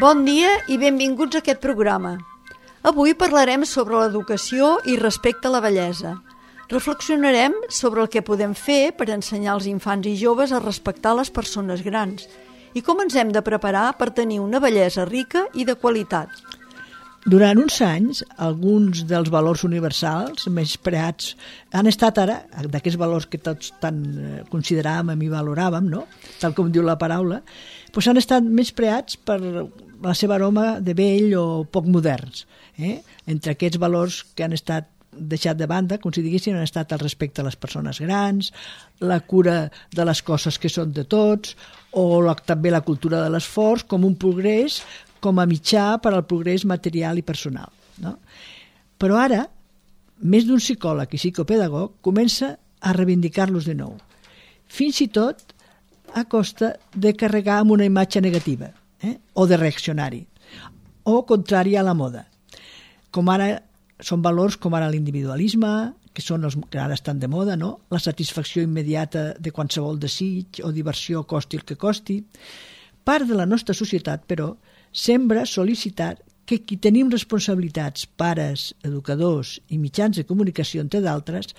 Bon dia i benvinguts a aquest programa. Avui parlarem sobre l'educació i respecte a la bellesa. Reflexionarem sobre el que podem fer per ensenyar als infants i joves a respectar les persones grans i com ens hem de preparar per tenir una bellesa rica i de qualitat. Durant uns anys, alguns dels valors universals menyspreats han estat ara, d'aquests valors que tots tant consideràvem i valoràvem, no? Tal com diu la paraula, doncs han estat menyspreats per la seva aroma de vell o poc moderns. Entre aquests valors que han estat deixat de banda, com si diguéssim, han estat el respecte a les persones grans, la cura de les coses que són de tots, o també la cultura de l'esforç com un progrés, com a mitjà per al progrés material i personal. No? Però ara, més d'un psicòleg i psicopedagog comença a reivindicar-los de nou, fins i tot a costa de carregar amb una imatge negativa, o de reaccionari, o contrari a la moda. Són valors com ara l'individualisme, que són els que ara estan de moda, no? La satisfacció immediata de qualsevol desig o diversió costi el que costi. Part de la nostra societat, però, sembra sol·licitar que qui tenim responsabilitats, pares, educadors i mitjans de comunicació, entre d'altres,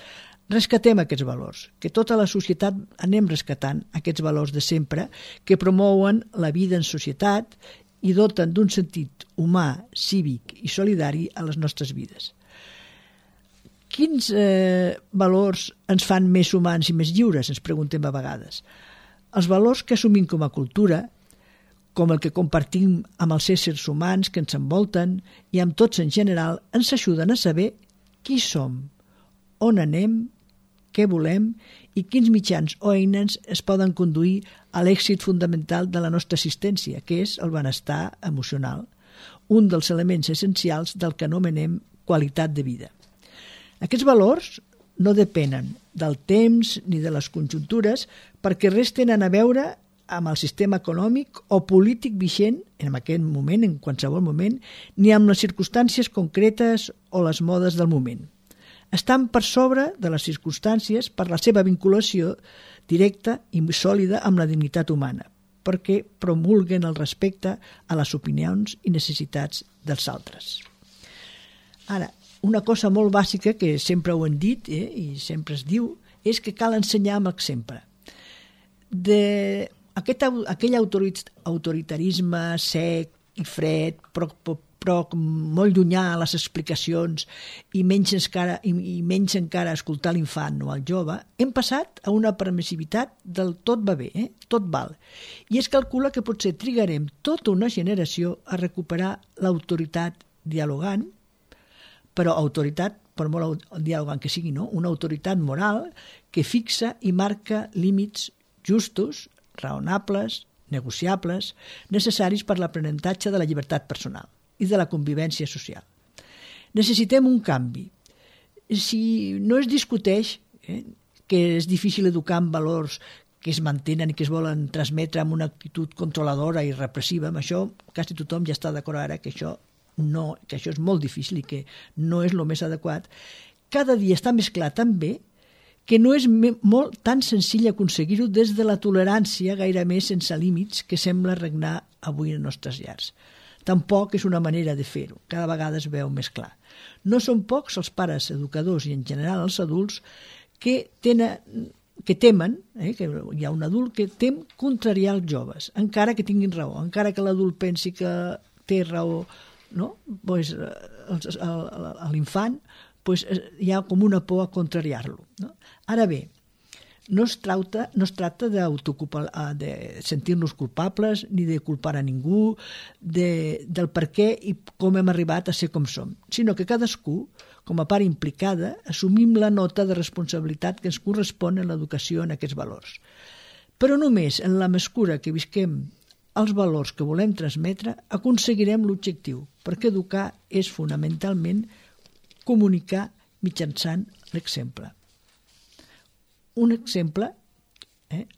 rescatem aquests valors, que tota la societat anem rescatant aquests valors de sempre que promouen la vida en societat i doten d'un sentit humà, cívic i solidari a les nostres vides. Quins valors ens fan més humans i més lliures, ens preguntem a vegades? Els valors que assumim com a cultura, com el que compartim amb els éssers humans que ens envolten i amb tots en general, ens ajuden a saber qui som, on anem, què volem i quins mitjans o eines es poden conduir a l'èxit fundamental de la nostra existència, que és el benestar emocional, un dels elements essencials del que anomenem qualitat de vida. Aquests valors no depenen del temps ni de les conjuntures perquè res tenen a veure amb el sistema econòmic o polític vigent en aquest moment, en qualsevol moment, ni amb les circumstàncies concretes o les modes del moment. Estan per sobre de les circumstàncies per la seva vinculació directa i sòlida amb la dignitat humana, perquè promulguen el respecte a les opinions i necessitats dels altres. Ara, una cosa molt bàsica que sempre ho hem dit i sempre es diu és que cal ensenyar amb exemple. Aquell autoritarisme sec i fred, però molt llunyà a les explicacions i menys encara escoltar l'infant o el jove, hem passat a una permissivitat del tot va bé, tot val. I es calcula que potser trigarem tota una generació a recuperar l'autoritat dialogant, però autoritat, per molt dialogant que sigui, no? Una autoritat moral que fixa i marca límits justos, raonables, negociables, necessaris per l'aprenentatge de la llibertat personal i de la convivència social. Necessitem un canvi. Si no es discuteix que és difícil educar amb valors que es mantenen i que es volen transmetre amb una actitud controladora i repressiva, amb això quasi tothom ja està d'acord ara que això és molt difícil i que no és el més adequat, cada dia està més clar també que no és tan senzill aconseguir-ho des de la tolerància gairebé sense límits que sembla regnar avui en nostres llars. Tampoc és una manera de fer-ho, cada vegada es veu més clar. No són pocs els pares educadors i en general els adults que temen, que hi ha un adult que tem contrariar els joves, encara que tinguin raó, encara que l'adult pensi que té raó, no? Pues, l'infant hi ha com una por a contrariar-lo. No? Ara bé, no es tracta de sentir-nos culpables ni de culpar a ningú del per què i com hem arribat a ser com som, sinó que cadascú, com a part implicada, assumim la nota de responsabilitat que ens correspon en l'educació en aquests valors. Però només en la mesura que visquem els valors que volem transmetre aconseguirem l'objectiu, perquè educar és fonamentalment comunicar mitjançant l'exemple. Un exemple,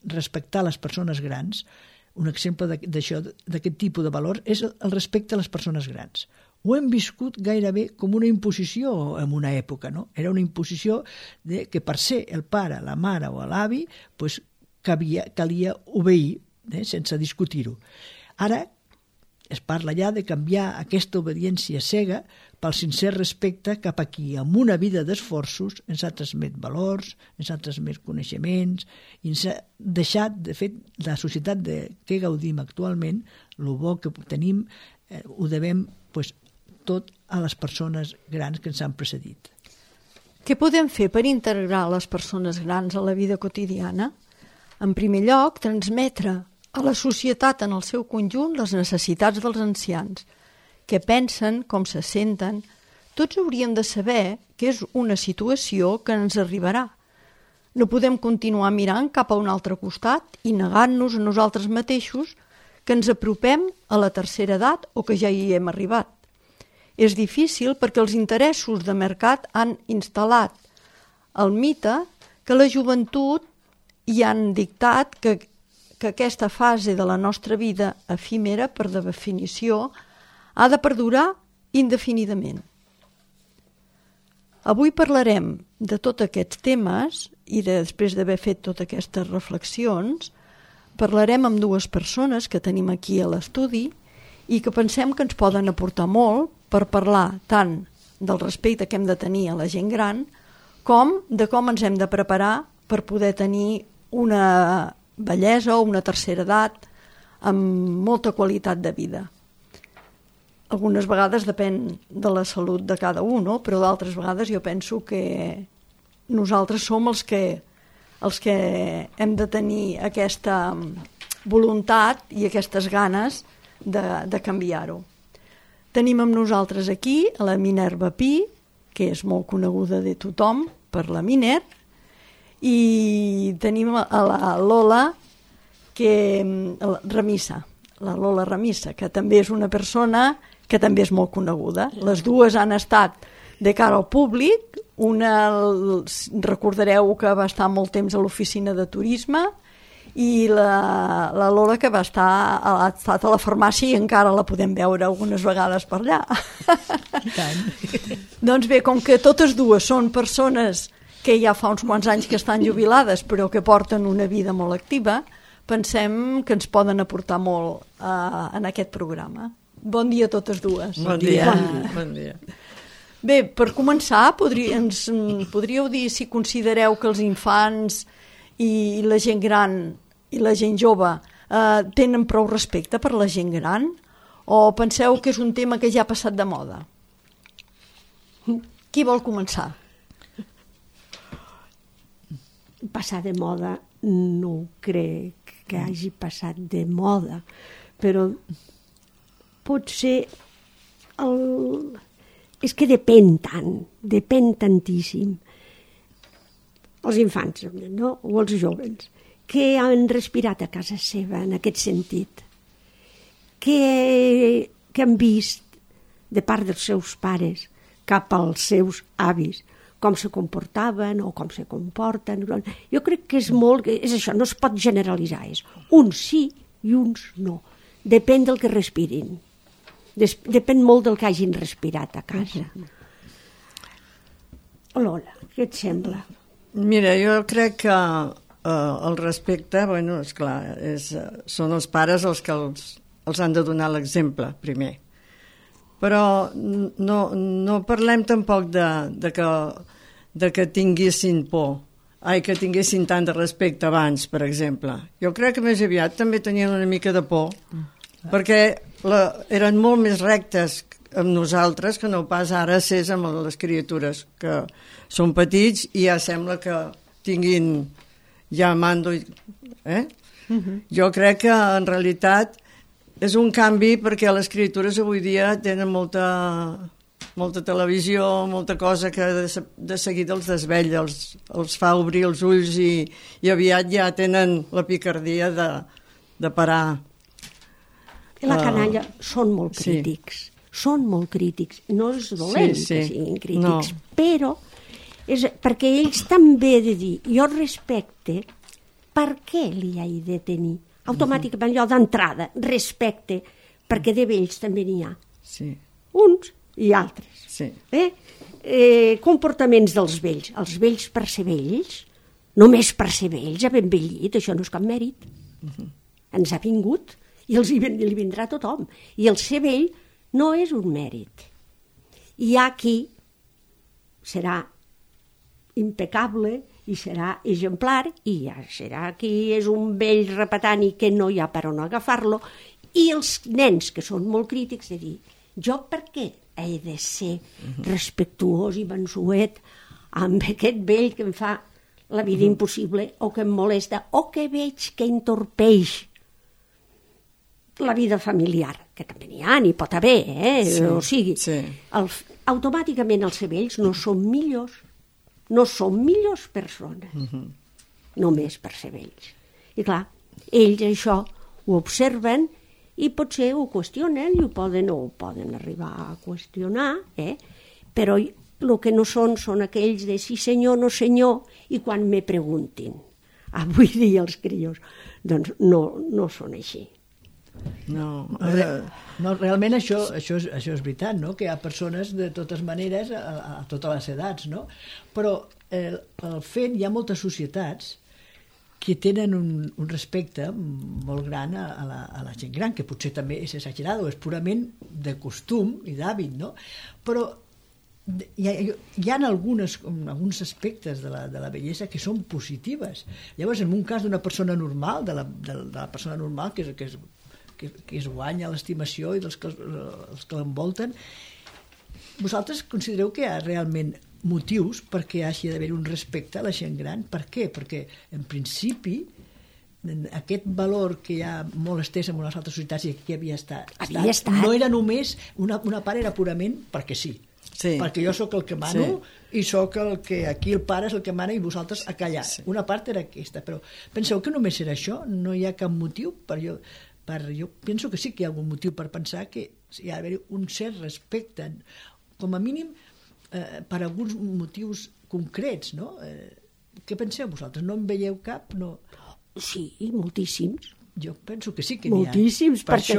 respectar les persones grans, un exemple d'aquest tipus de valor és el respecte a les persones grans. Ho hem viscut gairebé com una imposició en una època, no? Era una imposició que per ser el pare, la mare o l'avi, calia obeir, sense discutir-ho. Ara es parla ja de canviar aquesta obediència cega pel sincer respecte cap a qui amb una vida d'esforços ens ha transmet valors, ens ha transmet coneixements i ens ha deixat, de fet, la societat de què gaudim actualment, el bo que tenim, ho devem tot a les persones grans que ens han precedit. Què podem fer per integrar les persones grans a la vida quotidiana? En primer lloc, transmetre a la societat en el seu conjunt les necessitats dels ancians, què pensen, com se senten. Tots hauríem de saber que és una situació que ens arribarà. No podem continuar mirant cap a un altre costat i negant-nos a nosaltres mateixos que ens apropem a la tercera edat o que ja hi hem arribat. És difícil perquè els interessos de mercat han instal·lat el mite que la joventut hi han dictat que aquesta fase de la nostra vida efímera, per definició, ha de perdurar indefinidament. Avui parlarem de tots aquests temes i després d'haver fet totes aquestes reflexions, parlarem amb dues persones que tenim aquí a l'estudi i que pensem que ens poden aportar molt per parlar tant del respecte que hem de tenir a la gent gran com de com ens hem de preparar per poder tenir una bellesa o una tercera edat amb molta qualitat de vida. Algunes vegades depèn de la salut de cada un, no? Però d'altres vegades jo penso que nosaltres som els que hem de tenir aquesta voluntat i aquestes ganes de canviar-ho. Tenim amb nosaltres aquí la Minerva Pi, que és molt coneguda de tothom per la Miner, i tenim a la Lola Ramissa, la Lola Ramissa, que també és una persona que també és molt coneguda. Les dues han estat de cara al públic, una recordareu que va estar molt temps a l'oficina de turisme i la Lola que ha estat a la farmàcia i encara la podem veure algunes vegades per allà. Doncs bé, com que totes dues són persones que ja fa uns quants anys que estan jubilades però que porten una vida molt activa, pensem que ens poden aportar molt en aquest programa. Bon dia a totes dues. Bon dia. Bon dia. Bé, per començar, ens podríeu dir si considereu que els infants i la gent gran i la gent jove tenen prou respecte per la gent gran o penseu que és un tema que ja ha passat de moda? Qui vol començar? Passar de moda no crec que hagi passat de moda, però potser és que depèn tantíssim. Els infants, no? O els joves, que han respirat a casa seva en aquest sentit, que han vist de part dels seus pares cap als seus avis, com se comportaven o com se comporten. Jo crec que és això, no es pot generalitzar, és uns sí i uns no. Depèn del que respirin. Depèn molt del que hagin respirat a casa. Lola, què et sembla? Mira, jo crec que el respecte, bueno, esclar, són els pares els que els han de donar l'exemple primer. Però no parlem tampoc de que tinguessin por, que tinguessin tant de respecte abans, per exemple. Jo crec que més aviat també tenien una mica de por, perquè eren molt més rectes amb nosaltres que no pas ara ses amb les criatures, que són petits i ja sembla que tinguin ja mando. Jo crec que en realitat és un canvi perquè les criatures avui dia tenen molta televisió, molta cosa que de seguida els desvetlla, els fa obrir els ulls i aviat ja tenen la picardia de parar. I la canalla són molt crítics. Són molt crítics. No és dolent que siguin crítics, però és perquè ells també he de dir, jo respecte, per què li he de tenir? Automàticament, allò d'entrada, respecte, perquè de vells també n'hi ha. Sí. Uns i altres. Sí. Comportaments dels vells. Els vells, per ser vells, només per ser vells, haver envellit, això no és cap mèrit. Ens ha vingut i li vindrà a tothom. I el ser vell no és un mèrit. Hi ha qui serà impecable i serà exemplar, i ja serà qui és un vell repetant i que no hi ha per on agafar-lo, i els nens que són molt crítics de dir, jo per què he de ser respectuós i mansuet amb aquest vell que em fa la vida impossible o que em molesta o que veig que entorpeix la vida familiar, que també n'hi ha, n'hi pot haver, o sigui, automàticament els vells no són millors, no són millors persones, només per ser vells. I clar, ells això ho observen i potser ho qüestionen i ho poden arribar a qüestionar, però el que no són aquells de sí senyor, no senyor, i quan me preguntin, avui dia els crios, doncs no són així. No, realment això és veritat, no? Que hi ha persones de totes maneres a totes les edats, no? Però el fet, hi ha moltes societats que tenen un respecte molt gran a la gent gran, que potser també és exagerat o és purament de costum i d'hàbit, no? Però hi ha alguns aspectes de la bellesa que són positives. Llavors, en un cas d'una persona normal, de la persona normal que es guanya l'estimació i dels que l'envolten, vosaltres considereu que hi ha realment motius perquè hi hagi d'haver un respecte a la gent gran? Per què? Perquè, en principi, aquest valor que hi ha molt estès en unes altres societats i que havia estat, no era només, una part era purament perquè sí. Perquè jo sóc el que mano i sóc el que aquí el pare és el que mana i vosaltres a callar. Una part era aquesta, però penseu que només era això? No hi ha cap motiu jo penso que sí que hi ha algun motiu per pensar que hi ha d'haver un cert respecte, com a mínim per alguns motius concrets, no? Què penseu vosaltres? No en veieu cap? No. Sí, moltíssims. Jo penso que sí que n'hi ha. Moltíssims, perquè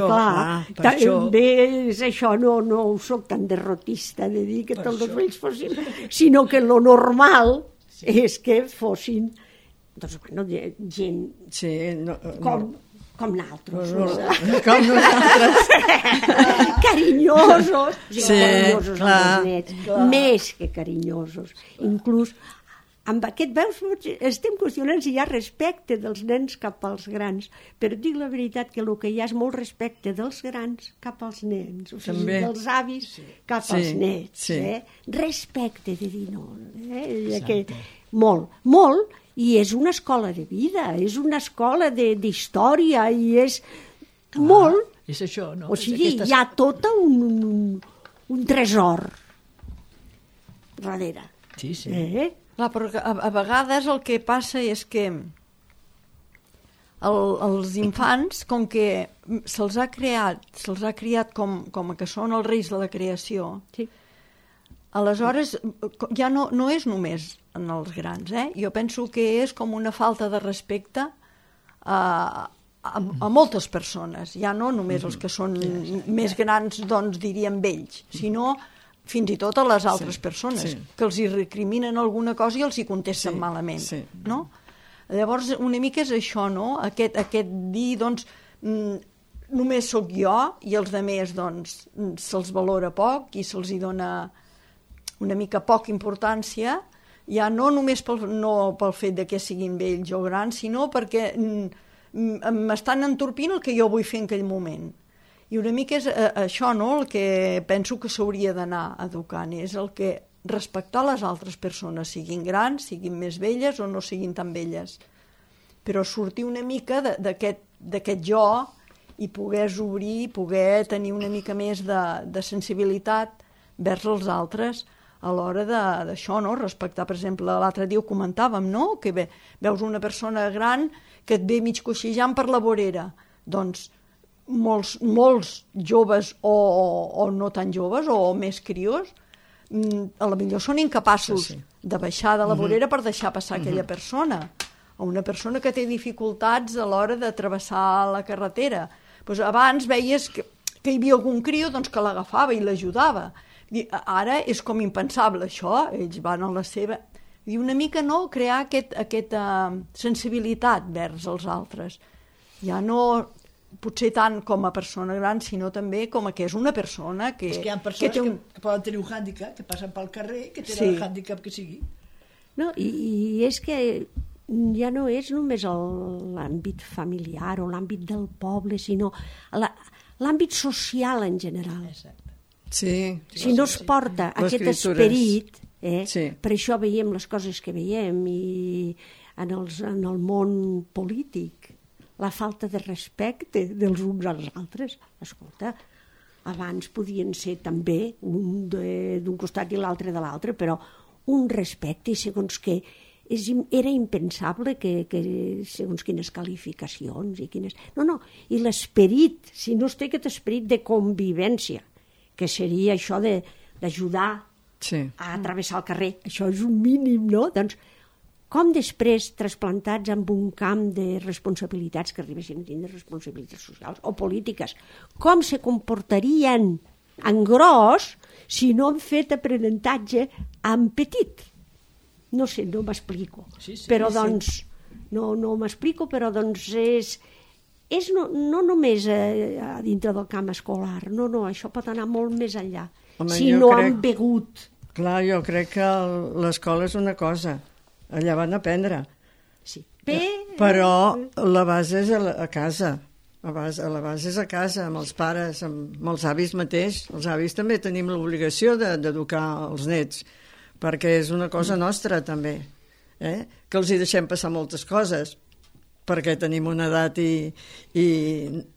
també és això, no soc tan derrotista de dir que tots els vells fossin, sinó que lo normal és que fossin gent com nosaltres. Com nosaltres. Carinyosos. Carinyosos amb els nets. Més que carinyosos. Inclús amb aquest, veus, estem qüestionant si hi ha respecte dels nens cap als grans, però dic la veritat que el que hi ha és molt respecte dels grans cap als nens, o sigui, dels avis cap als nets. Respecte, de dir no. Molt, i és una escola de vida, és una escola d'història, i és molt... És això, no? O sigui, hi ha tot un tresor darrere. Sí. Clar, però a vegades el que passa és que els infants, com que se'ls ha criat com que són els reis de la creació, aleshores ja no és només en els grans, Jo penso que és com una falta de respecte a moltes persones, ja no només els que són més grans, doncs diríem vells, sinó fins i tot a les altres persones, que els hi recriminen alguna cosa i els hi contesten malament, no? Llavors, una mica és això, no? Aquest dir, doncs, només sóc jo i els altres, doncs, se'ls valora poc i se'ls hi dona una mica poca importància, ja no només pel fet de que siguin vells o grans, sinó perquè m'estan entorpint el que jo vull fer en aquell moment. I una mica és això, no?, el que penso que s'hauria d'anar educant, és el que respectar les altres persones, siguin grans, siguin més velles o no siguin tan velles. Però sortir una mica d'aquest jo i poder obrir, poder tenir una mica més de sensibilitat vers els altres a l'hora d'això, no?, respectar, per exemple, l'altre dia ho comentàvem, no?, que veus una persona gran que et ve mig coixejant per la vorera, doncs molts joves o no tan joves o més crios a la millor són incapaços de baixar de la vorera per deixar passar aquella persona, o una persona que té dificultats a l'hora de travessar la carretera. Doncs abans veies que hi havia algun criu que l'agafava i l'ajudava. Ara és com impensable això, ells van a la seva... I una mica crear aquesta sensibilitat vers els altres. Ja no potser tant com a persona gran, sinó també com que és una persona que... És que hi ha persones que poden tenir un hàndicap, que passen pel carrer, que tenen el hàndicap que sigui. No, i és que ja no és només l'àmbit familiar o l'àmbit del poble, sinó l'àmbit social en general. Exacte. Sí. Si no es porta aquest esperit, per això veiem les coses que veiem i en el món polític, la falta de respecte dels uns als altres. Escolta, abans podien ser també un d'un costat i l'altre de l'altre, però un respecte i segons què era impensable que segons quines qualificacions i quines... No, i l'esperit, si no es té aquest esperit de convivència, que seria això d'ajudar a travessar el carrer, això és un mínim, no? Doncs com després, trasplantats amb un camp de responsabilitats, que arribessin a tindre responsabilitats socials o polítiques, com se comportarien en gros si no han fet aprenentatge en petit? No sé, no m'explico. Però doncs, no m'explico, però doncs és no només a dintre del camp escolar, no, això pot anar molt més enllà. Si no han begut. Clar, jo crec que l'escola és una cosa, allà van aprendre. Sí. Però la base és a casa. La base és a casa, amb els pares, amb els avis mateix. Els avis també tenim l'obligació d'educar els nets, perquè és una cosa nostra també, que els hi deixem passar moltes coses, perquè tenim una edat i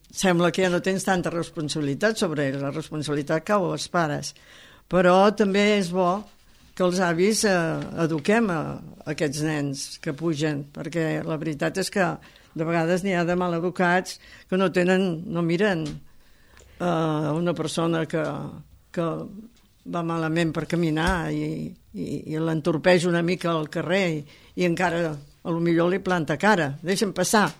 sembla que ja no tens tanta responsabilitat sobre ells, la responsabilitat cau als pares. Però també és bo que els avis eduquem aquests nens que pugen, perquè la veritat és que de vegades n'hi ha de maleducats que no miren una persona que va malament per caminar i l'entorpeix una mica al carrer i encara a lo millor li planta cara, deixen passar,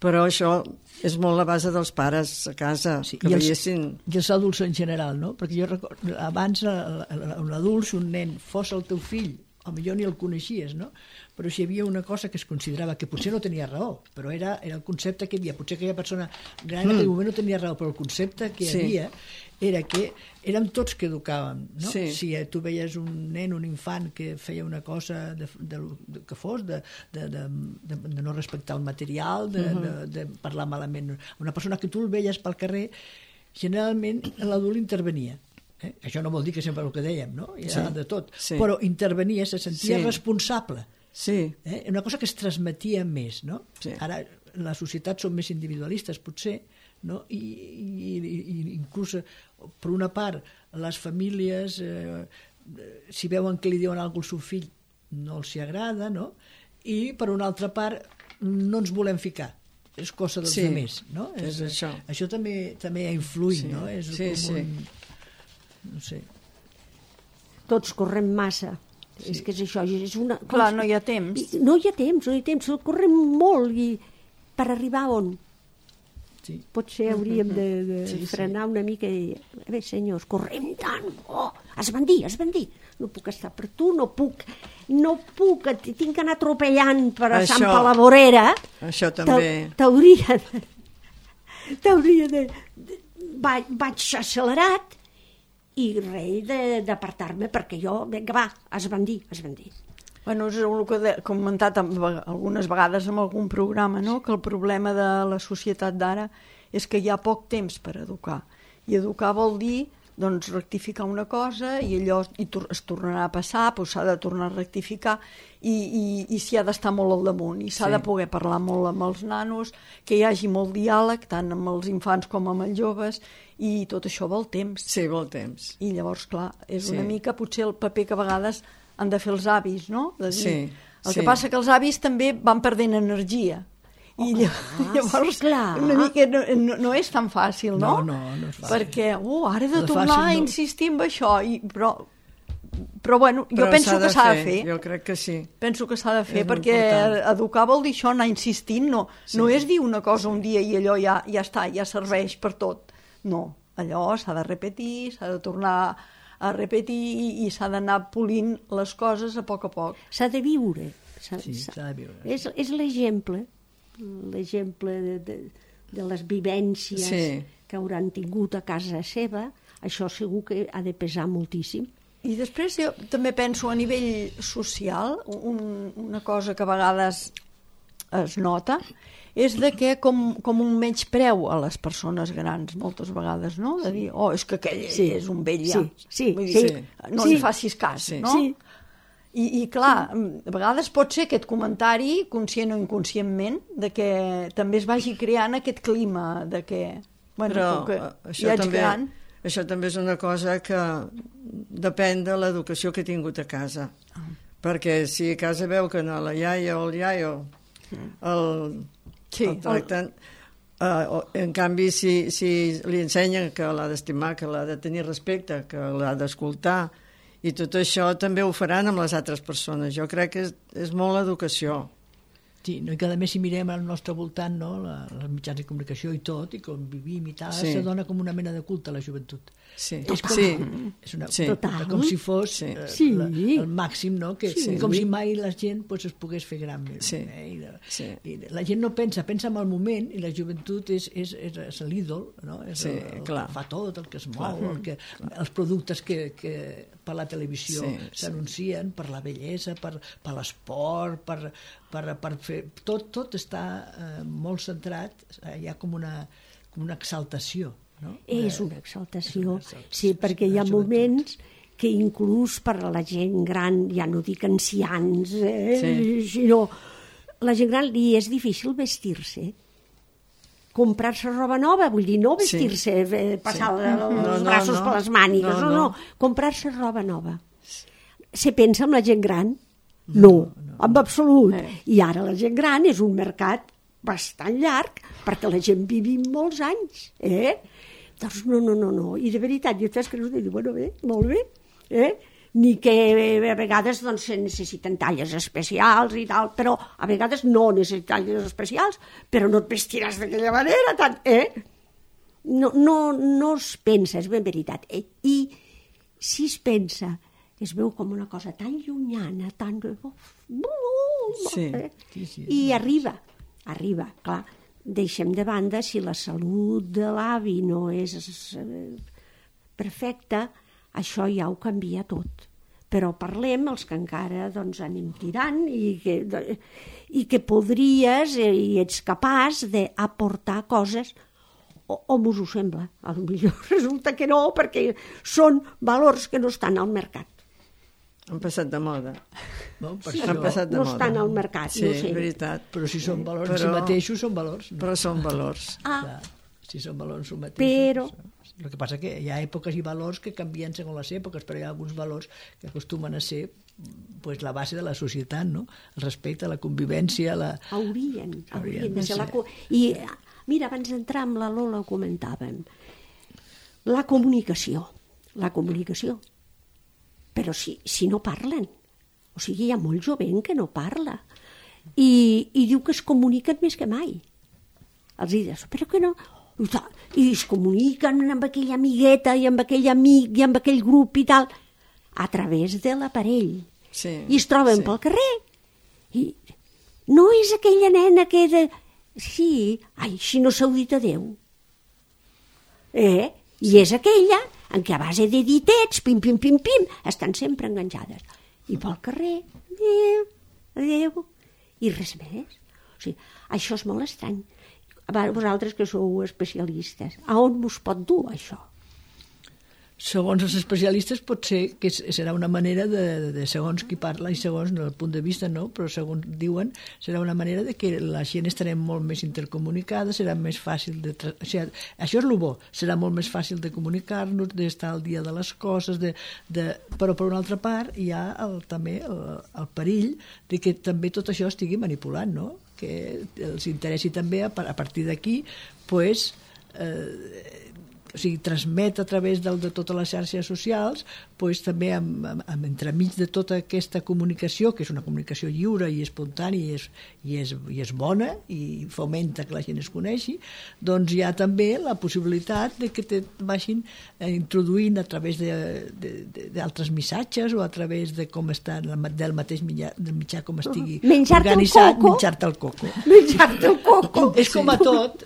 però això és molt la base dels pares a casa, que veiessin... I els adults en general, no? Perquè jo recordo, abans un adult, si un nen fos el teu fill, potser ni el coneixies, no? Però si hi havia una cosa que es considerava que potser no tenia raó, però era el concepte que hi havia, potser aquella persona gran en aquell moment no tenia raó, però el concepte que hi havia era que érem tots que educàvem, no? Si tu veies un nen, un infant que feia una cosa que fos, de no respectar el material, de parlar malament, una persona que tu el veies pel carrer, generalment l'adult intervenia. Això no vol dir que sempre el que dèiem, no? Hi ha de tot, però intervenia, se sentia responsable. Una cosa que es transmetia més, no? Ara les societats són més individualistes, potser, no? I inclús, per una part, les famílies, si veuen que li diuen alguna cosa al seu fill, no els hi agrada, no? I, per una altra part, no ens volem ficar. És cosa dels altres, no? Això també ha influït, no? És com un... no sé. Tots correm massa. És que és això. Clar, no hi ha temps. No hi ha temps. Correm molt i per arribar on? Potser hauríem de frenar una mica i dir, a veure, senyors, correm tant. Es van dir. No puc estar per tu, no puc, tinc que anar atropellant per a Sant Pau la Vorera. Això també. T'hauria de... Vaig accelerat i rei d'apartar-me perquè jo, vinga, va, es van dir. Bueno, és el que he comentat algunes vegades en algun programa, no? Que el problema de la societat d'ara és que hi ha poc temps per educar. I educar vol dir doncs, rectificar una cosa i allò es tornarà a passar, doncs s'ha de tornar a rectificar i s'hi ha d'estar molt al damunt i s'ha de poder parlar molt amb els nanos, que hi hagi molt diàleg, tant amb els infants com amb els joves, i tot això vol temps. Sí, vol temps. I llavors, clar, és una mica potser el paper que a vegades han de fer els avis, no? De dir. El que passa que els avis també van perdent energia. I llavors una mica no és tan fàcil, no? No és fàcil. Perquè ara he de tornar a insistir en això, però bueno, jo penso que s'ha de fer. Jo crec que sí. Penso que s'ha de fer, perquè educar vol dir això, anar insistint, no és dir una cosa un dia i allò ja està, ja serveix per tot. No, allò s'ha de repetir, s'ha de tornar a repetir i s'ha d'anar polint les coses a poc. S'ha de viure. S'ha de viure. És l'exemple de les vivències que hauran tingut a casa seva. Això segur que ha de pesar moltíssim. I després jo també penso a nivell social, una cosa que a vegades es nota, és de que com un menyspreu a les persones grans, moltes vegades, no? De dir, és que aquell és un vell ja. No li facis cas, no? Sí. I clar, a vegades pot ser aquest comentari, conscient o inconscientment, de que també es vagi creant aquest clima de que, però que ja ets gran. Això també és una cosa que depèn de l'educació que he tingut a casa. Perquè si a casa veu que no la iaia o el iaio el tracten, en canvi si li ensenyen que l'ha d'estimar, que l'ha de tenir respecte, que l'ha d'escoltar, i tot això també ho faran amb les altres persones. Jo crec que és molt l'educació. Sí, no? I que a més si mirem al nostre voltant, no? Els mitjans de comunicació i tot, i com vivim i tal, se dona com una mena de culte a la joventut. Sí. És com si fos el màxim, no? Com si mai la gent es pogués fer gran més. I la gent no pensa en el moment, i la joventut és l'ídol, no? És el que fa tot, el que es mou, els productes que per la televisió s'anuncien, per la bellesa, per l'esport, per fer... Tot està molt centrat, hi ha com una exaltació. No? És una exaltació, sí, perquè hi ha moments que inclús per a la gent gran, ja no dic ancians, sinó la gent gran li és difícil vestir-se. Comprar-se roba nova, vull dir, no vestir-se, passar els braços per les mànigues, no, comprar-se roba nova. Se pensa en la gent gran? No, en absolut. I ara la gent gran és un mercat bastant llarg perquè la gent vivim molts anys, Doncs no. I de veritat, jo t'has cregut i dic, bueno, bé, molt bé, Ni que a vegades doncs, se necessiten talles especials i tal, però a vegades no necessiten talles especials, però no et vestiràs d'aquella manera, tant, No es pensa, és ben veritat. I si es pensa, es veu com una cosa tan llunyana, tan... I arriba, clar. Deixem de banda si la salut de l'avi no és perfecta, això ja ho canvia tot. Però parlem els que encara anem tirant i que podries i ets capaç d'aportar coses o m'us ho sembla. Potser resulta que no, perquè són valors que no estan al mercat. Han passat de moda. No estan al mercat, no sé. Veritat. Però si són valors en si mateixos, són valors. Però són valors. Si són valors en si mateixos. Però... El que passa que hi ha èpoques i valors que canvien segons les èpoques, però hi ha alguns valors que acostumen a ser la base de la societat, no? El respecte, la convivència... Haurien de ser. I mira, abans d'entrar amb la Lola ho comentàvem. La comunicació. Però si no parlen, o sigui, hi ha molt jovent que no parla i diu que es comuniquen més que mai. Els dius, però que no... I es comuniquen amb aquella amigueta i amb aquell amic i amb aquell grup i tal, a través de l'aparell. I es troben pel carrer i no és aquella nena que... Sí, si no s'ho dit adéu. I és aquella en què a base de ditets, pim, estan sempre enganxades. I pel carrer, adéu, i res més. O sigui, això és molt estrany. Vosaltres que sou especialistes, a on us pot dur això? Segons els especialistes pot ser que serà una manera de segons qui parla i segons el punt de vista, no? Però segons diuen serà una manera de que la gent estarem molt més intercomunicada, serà més fàcil de... O sigui, això és el bo, serà molt més fàcil de comunicar-nos, d'estar al dia de les coses, però per una altra part hi ha també el perill de que també tot això estigui manipulat, no? Que els interessi també a partir d'aquí, transmet a través de totes les xarxes socials, doncs també entremig de tota aquesta comunicació, que és una comunicació lliure i espontània i és bona i fomenta que la gent es coneixi, doncs hi ha també la possibilitat de que te vagin introduint a través d'altres missatges o a través de com està del mateix mitjà com estigui organitzat, menjar-te el coco. Menjar-te el coco. És com a tot,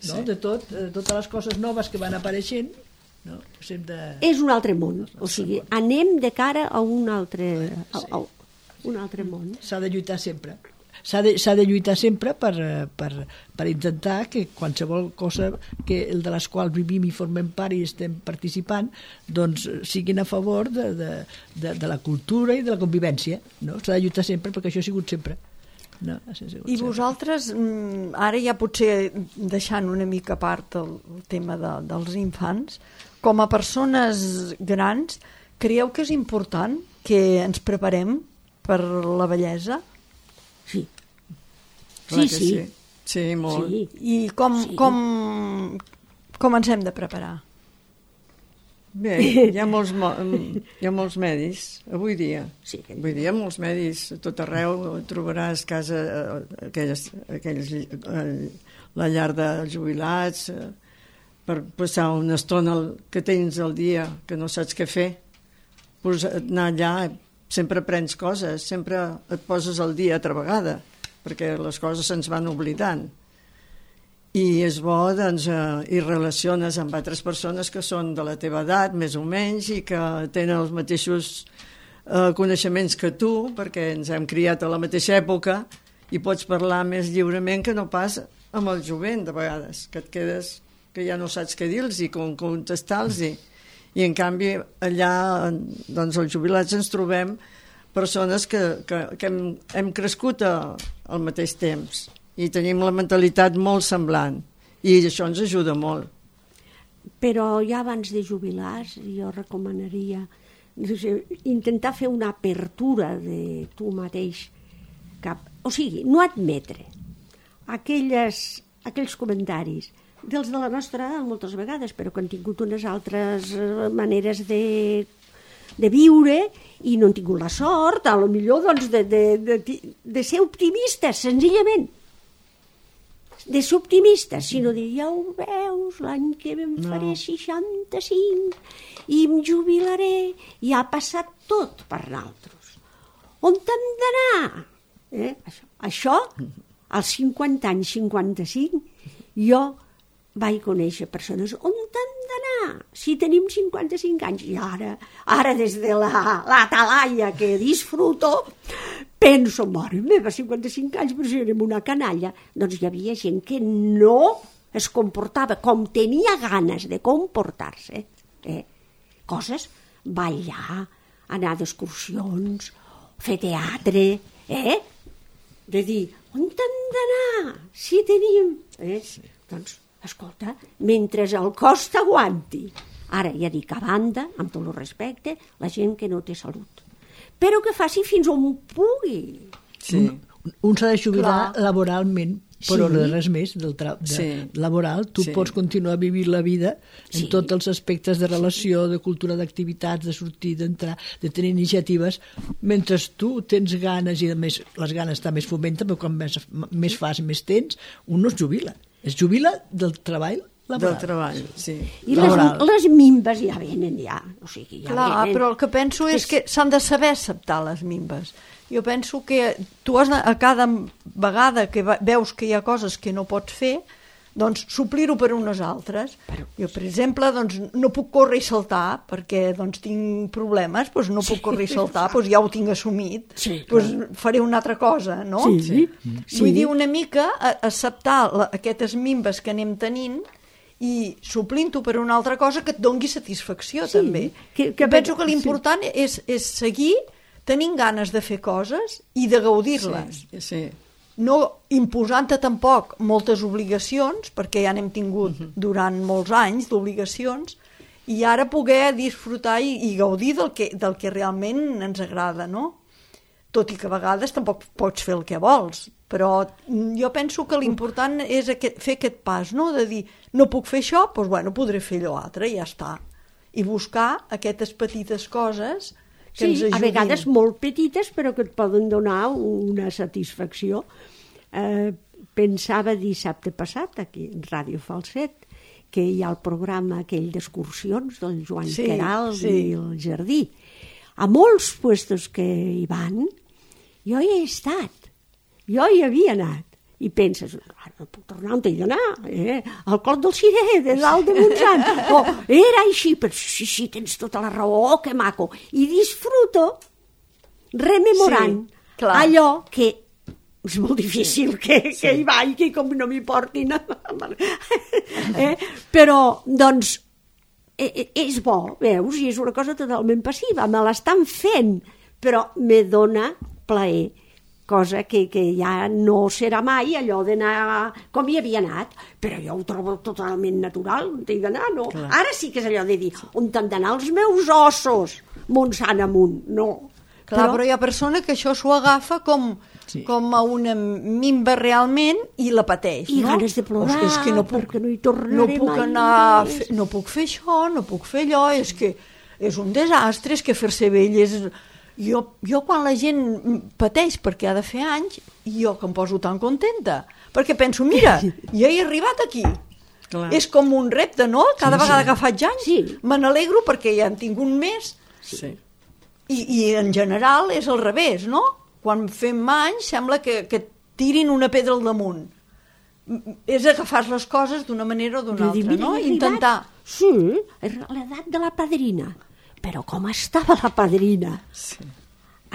no? De totes les coses noves que van apareixent, no? És un altre món, o sigui, anem de cara a un altre món. S'ha de lluitar sempre. S'ha de lluitar sempre per intentar que qualsevol cosa de les quals vivim i formem part i estem participant, doncs siguin a favor de la cultura i de la convivència, no? S'ha de lluitar sempre perquè això ha sigut sempre. No, i vosaltres, ara ja potser deixant una mica a part el tema dels infants, com a persones grans, creieu que és important que ens preparem per la vellesa? Sí. Sí, molt. Sí. I com ens hem de preparar? Bé, hi ha molts medis avui dia. Sí. Avui dia molts medis a tot arreu trobaràs la llar de jubilats per passar una estona que tens al dia que no saps què fer, pues anar allà sempre aprens coses, sempre et poses al dia altra vegada perquè les coses se'ns van oblidant. I és bo, doncs, i relaciones amb altres persones que són de la teva edat, més o menys, i que tenen els mateixos coneixements que tu, perquè ens hem criat a la mateixa època, i pots parlar més lliurement que no pas amb el jovent, de vegades, que et quedes que ja no saps què dir-los i com contestar-los. I en canvi, allà, doncs, els jubilats ens trobem persones que hem crescut al mateix temps, i tenim la mentalitat molt semblant, i això ens ajuda molt. Però ja abans de jubilar jo recomanaria intentar fer una apertura de tu mateix, o sigui, no admetre aquells comentaris dels de la nostra edat moltes vegades, però que han tingut unes altres maneres de viure i no han tingut la sort, a lo millor doncs, de ser optimistes, senzillament. De ser optimistes, sinó de ja ho veus, l'any que em faré 65 i em jubilaré, i ha passat tot per nosaltres. On hem d'anar? Això, als 50 anys, 55, jo vaig conèixer persones. On hem d'anar? Si tenim 55 anys, i ara des de l'Atalaia que disfruto, penso, mare meva, 55 anys, però si érem una canalla. Doncs hi havia gent que no es comportava com tenia ganes de comportar-se. Coses, ballar, anar d'excursions, fer teatre, de dir, on hem d'anar? Si tenim... Doncs, escolta, mentre el cos t'aguanti. Ara, ja dic, a banda, amb tot el respecte, la gent que no té salut. Però que faci fins on pugui. Sí. Un s'ha de jubilar laboralment, però no res més laboral. Tu pots continuar vivint la vida en tots els aspectes de relació, de cultura, d'activitats, de sortir, d'entrar, de tenir iniciatives, mentre tu tens ganes, i a més les ganes també es fomenten, però quan més fas, més tens, un no es jubila. Es jubila del treball laboral. Del treball, sí. I les minves ja venen, ja. O sigui, ja clar, venen. Però el que penso és que s'han de saber acceptar les minves. Jo penso que tu has a cada vegada que veus que hi ha coses que no pots fer, doncs suplir-ho per unes altres. Jo, per exemple, doncs, no puc córrer i saltar perquè doncs, tinc problemes, doncs no puc córrer i saltar, doncs ja ho tinc assumit, doncs faré una altra cosa, no? Vull dir, una mica acceptar aquestes minves que anem tenint i suplint-ho per una altra cosa que et dongui satisfacció, també. Penso que l'important és seguir tenint ganes de fer coses i de gaudir-les. No imposant-te tampoc moltes obligacions, perquè ja n'hem tingut durant molts anys d'obligacions, i ara poder disfrutar i gaudir del que realment ens agrada, no? tot i que a vegades tampoc pots fer el que vols, però jo penso que l'important és fer aquest pas, no? De dir, no puc fer això, doncs bueno, podré fer allò altre i ja està. I buscar aquestes petites coses que ens ajudin. A vegades molt petites, però que et poden donar una satisfacció. Pensava dissabte passat, aquí, en Ràdio Falset, que hi ha el programa aquell d'excursions del Joan Queralt i el Jardí. A molts puestos que hi van, jo hi he estat, jo hi havia anat. I penses, no puc tornar on he d'anar, al Clot del Cirer, de dalt de Montsant. Era així, però sí, tens tota la raó, que maco. I disfruto rememorant allò que és molt difícil que hi vagi, que com no m'hi portin. Però, doncs, és bo, veus, i és una cosa totalment passiva, me l'estan fent, però me dona plaer, cosa que ja no serà mai allò d'anar com hi havia anat, però jo ho trobo totalment natural, on he d'anar, no? Clar. Ara sí que és allò de dir, on han d'anar els meus ossos, Montsant amunt, no. Clar, però hi ha persona que això s'ho agafa com a una mimba realment i la pateix, I no? ganes de plorar, és que no puc, perquè no hi tornaré mai. No puc fer això, no puc fer allò, és que és un desastre, és que fer-se vell és... Jo quan la gent pateix perquè ha de fer anys, jo que em poso tan contenta, perquè penso, mira, ja he arribat aquí. Clar. És com un repte, no? Cada vegada que faig anys me n'alegro perquè ja en tinc un més. Sí. I en general és al revés, no? Quan fem anys sembla que tirin una pedra al damunt. És agafar les coses d'una manera o d'una altra, no? Intentar. Sí, l'edat de la padrina. Però com estava la padrina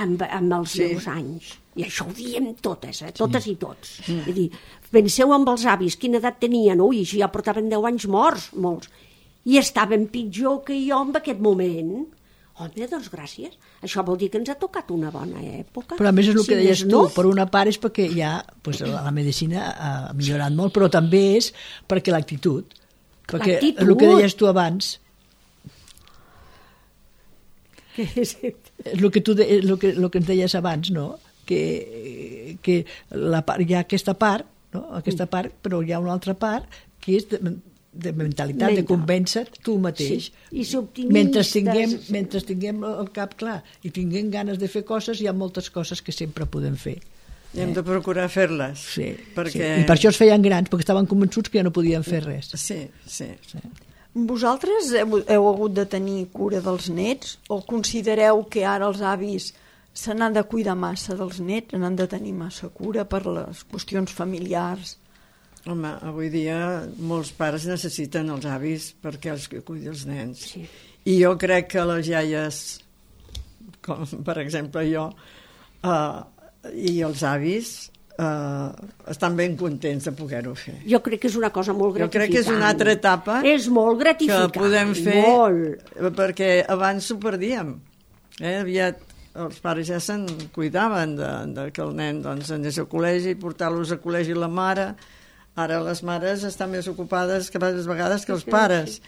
amb els seus anys? I això ho diem totes, totes i tots. És dir, penseu amb els avis, quina edat tenien? Ui, ja portaven 10 anys morts, molts. I estaven pitjor que jo en aquest moment. Home, doncs gràcies. Això vol dir que ens ha tocat una bona època. Però a més és el que deies tu, per una part és perquè ja la medicina ha millorat molt, però també és perquè l'actitud. Perquè el que deies tu abans... El que ens deies abans, no? Que hi ha aquesta part, no? Aquesta part, però hi ha una altra part que és de mentalitat, de convèncer tu mateix. I ser optimistes. Mentre tinguem el cap clar i tinguem ganes de fer coses, hi ha moltes coses que sempre podem fer. I hem de procurar fer-les. Sí. I per això es feien grans, perquè estaven convençuts que ja no podien fer res. Sí. Vosaltres heu hagut de tenir cura dels nets o considereu que ara els avis se n'han de cuidar massa dels nets, n'han de tenir massa cura per les qüestions familiars? Home, avui dia molts pares necessiten els avis perquè els cuidi els nens. Sí. I jo crec que les iaies, com per exemple jo, i els avis... estan ben contents de poder-ho fer. Jo crec que és una cosa molt gratificant. Jo crec que és una altra etapa és molt gratificant, que podem fer molt. Perquè abans s'ho perdíem. Aviat els pares ja se'n cuidaven de que el nen anés al col·legi, portar-los al col·legi la mare. Ara les mares estan més ocupades que vegades que els pares.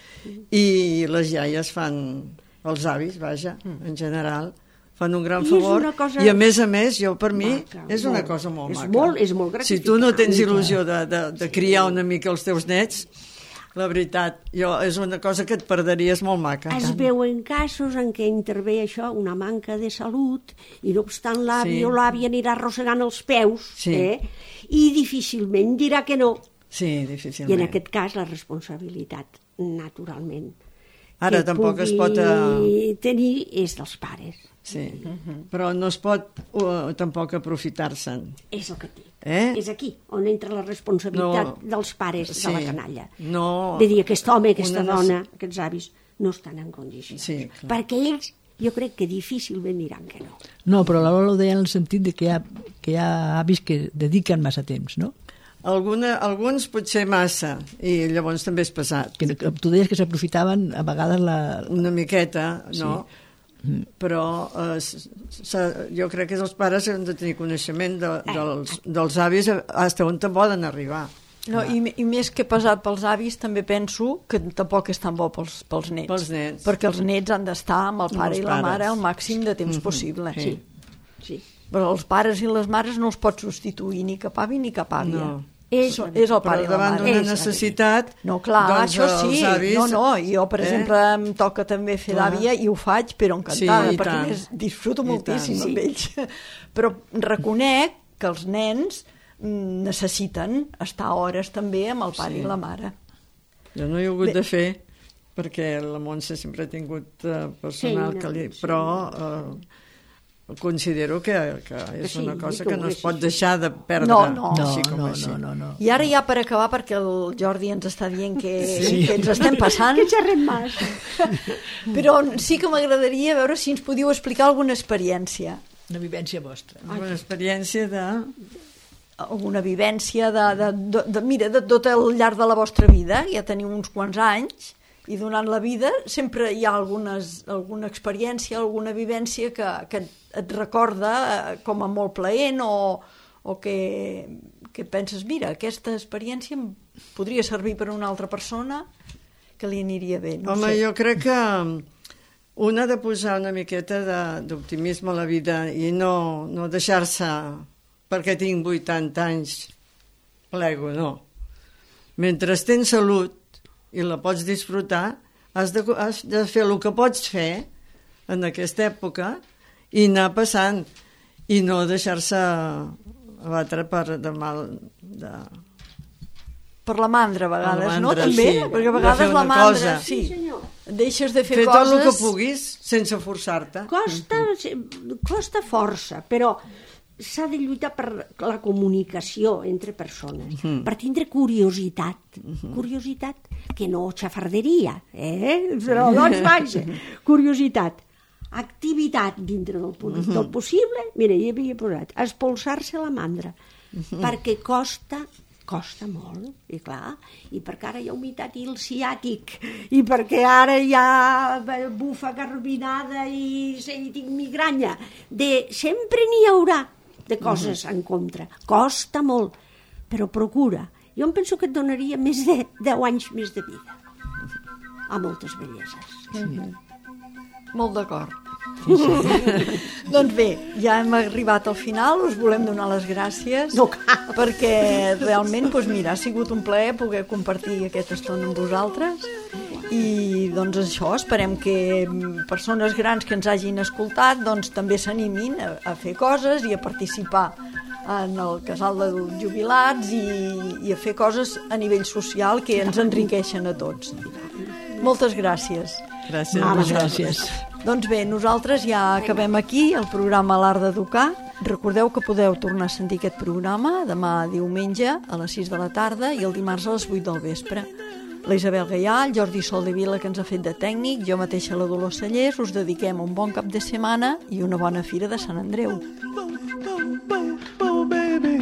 I les iaies fan, els avis, vaja, en general, fan un gran favor, i a més, jo, per mi, és una cosa molt maca. És molt gratificant. Si tu no tens il·lusió de criar una mica els teus nets, la veritat, és una cosa que et perderies molt maca. Es veuen casos en què intervé això, una manca de salut, i no obstant l'avi o l'àvia anirà arrossegant els peus, i difícilment dirà que no. Sí, difícilment. I en aquest cas la responsabilitat, naturalment, ara tampoc es pot tenir és dels pares. Sí, però no es pot tampoc aprofitar-se'n. És el que dic. És aquí on entra la responsabilitat dels pares de la canalla. De dir, aquest home, aquesta dona, aquests avis, no estan en condicions. Sí, perquè ells, jo crec que difícilment diran que no. No, però la Lola ho deia en el sentit de que hi ha avis que dediquen massa temps, no? Alguns potser massa, i llavors també és pesat. Tu deies que s'aprofitaven a vegades una miqueta, no? Però jo crec que els pares han de tenir coneixement dels avis fins on poden arribar. No, i més que pesat pels avis, també penso que tampoc és tan bo pels nets. Pels nets. Perquè els nets han d'estar amb el pare i la mare el màxim de temps possible. Sí. Però els pares i les mares no els pot substituir ni cap avi ni cap àvia. No. És el pare i la davant mare. d'una necessitat, No, clar, doncs, això sí. els avis, Jo, per exemple, em toca també fer d'àvia i ho faig, però encantada, Sí, i perquè tant. disfruto I moltíssim tant. amb ells. Però reconec que els nens necessiten estar hores també amb el pare i la mare. Jo no he hagut de fer, perquè la Montse sempre ha tingut personal, però considero que és una cosa que no es pot deixar de perdre. No. Així com així. No. I ara ja per acabar, perquè el Jordi ens està dient que ens estem passant, Que xerrem més. però sí que m'agradaria veure si ens podíeu explicar alguna experiència. Una vivència vostra. Una experiència de... Alguna vivència mira, de tot el llarg de la vostra vida, ja teniu uns quants anys, i donant la vida sempre hi ha alguna experiència, alguna vivència que et recorda com a molt plaent o que penses, mira, aquesta experiència em podria servir per a una altra persona que li aniria bé. No Home, sé. jo crec que un ha de posar una miqueta d'optimisme a la vida i no deixar-se perquè tinc 80 anys plego, no. Mentre tens salut i la pots disfrutar, has de fer el que pots fer en aquesta època i anar passant i no deixar-se abatre per mal de... Per la mandra, a vegades, La no? mandra, També? sí. Perquè a De vegades fer la una mandra... cosa. Sí, Sí, senyor. deixes de fer Fer coses... tot el que puguis sense forçar-te. Costa força, però s'ha de lluitar per la comunicació entre persones, per tindre curiositat, curiositat, que no xafarderia, però doncs vaja, curiositat, activitat dintre del possible, mira, hi havia posat, espolsar-se la mandra, perquè costa molt, i clar, i perquè ara hi ha humitat i el ciàtic, i perquè ara hi ha bufa garbinada i tinc migranya, sempre n'hi haurà de coses en contra. Costa molt, però procura. Jo em penso que et donaria més de 10 anys més de vida. A moltes belleses. Molt d'acord. Doncs bé, ja hem arribat al final, us volem donar les gràcies No cal. perquè realment, doncs mira, ha sigut un plaer poder compartir aquesta estona amb vosaltres i doncs això, esperem que persones grans que ens hagin escoltat doncs també s'animin a fer coses i a participar en el casal de jubilats i a fer coses a nivell social que ens enriqueixen a tots. Moltes gràcies. Gràcies. Moltes gràcies. Doncs bé, nosaltres ja acabem aquí el programa L'Art d'Educar. Recordeu que podeu tornar a sentir aquest programa demà diumenge a les 6 de la tarda i el dimarts a les 8 del vespre. La Isabel Gaià, el Jordi Soldevila, que ens ha fet de tècnic, jo mateixa la Dolors Cellers, us dediquem un bon cap de setmana i una bona fira de Sant Andreu. Oh, baby,